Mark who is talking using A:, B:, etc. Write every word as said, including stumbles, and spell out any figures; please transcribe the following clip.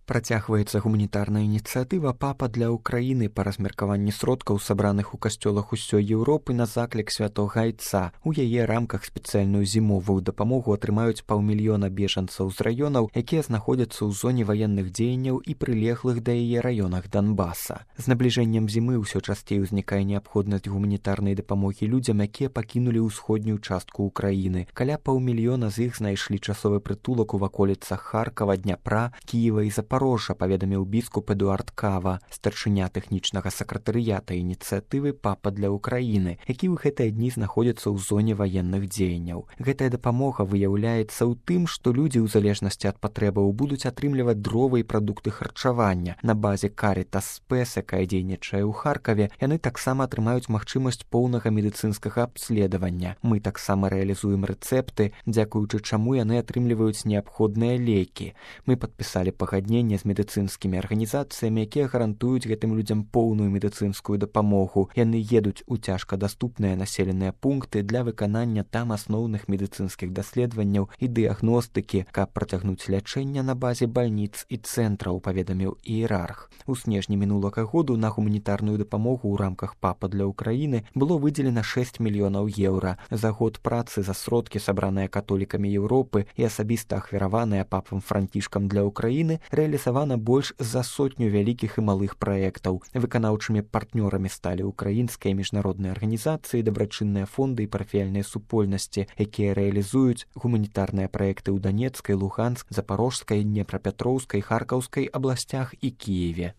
A: Працягваецца гуманітарная ініцыятыва «Папа для Украіны» па размеркаванні сродкаў, сабраных у касцёлах усёй Еўропы на заклік святога Айца. У яе рамках спецыяльную зімовую дапамогу атрымаюць паўмільёна бежанцаў з раёнаў, якія знаходзяцца ў зоне ваенных дзеянняў і прылеглых да яе раёнах Донбаса. З набліжэннем зімы ўсё часцей узнікае неабходнасць гуманітарнай дапамогі людзям, якія пакінулі ўсходнюю частку ўкраіны. Каля паўмільёна з іх знайшлі часовы прытулак у ваколіцах Харкава, Дняпра, Кіева і Запорожжя. Запорожжа, паведаміў біскуп Эдуард Кава, старшыня тэхнічнага сакратарыята ініцыятывы «Папа для Украіны», які ў гэтыя дні знаходзіцца ў зоне ваенных дзеянняў. Гэтая дапамога выяўляецца ў тым, што людзі ў залежнасці ад патрэбаў будуць атрымліваць дровы і прадукты харчавання. На базе Карітас Спэс, якая дзейнічае ў Харкаве, яны таксама атрымаюць магчымасць поўнага медыцынскага абследавання. Мы таксама рэалізуем рэцэпты, дзякуючы чаму яны атрымліваюць неабходныя лекі. Мы падпісалі пагадненне з медыцынскімі арганізацыямі, якія гарантуюць гэтым людзям поўную медыцынскую дапамогу. Яны едуць у цяжкадаступныя населеныя пункты для выканання там асноўных медыцынскіх даследаванняў і дыягностыкі, каб працягнуць лячэнне на базе бальніц і цэнтраў, паведаміў іерарх. У снежні мінулага году на гуманітарную дапамогу ў рамках «Папа для Украіны» было выдзелена шэсць мільёнаў еўра. За год працы за сродкі, сабраныя католікамі Еўропы і асабіста ахвяраваныя папам Францішкам для Украіны, рэалізавана больш за сотню вялікіх і малых праектаў. Выканаўчымі партнёрамі сталі ўкраінскія міжнародныя арганізацыі, дабрачынныя фонды і парафіяльныя супольнасці, якія рэалізуюць гуманітарныя праекты ў Данецкай, Луганскай, Запорожскай, Днепрапетроўскай, Харкаўскай абласцях і Кіеве.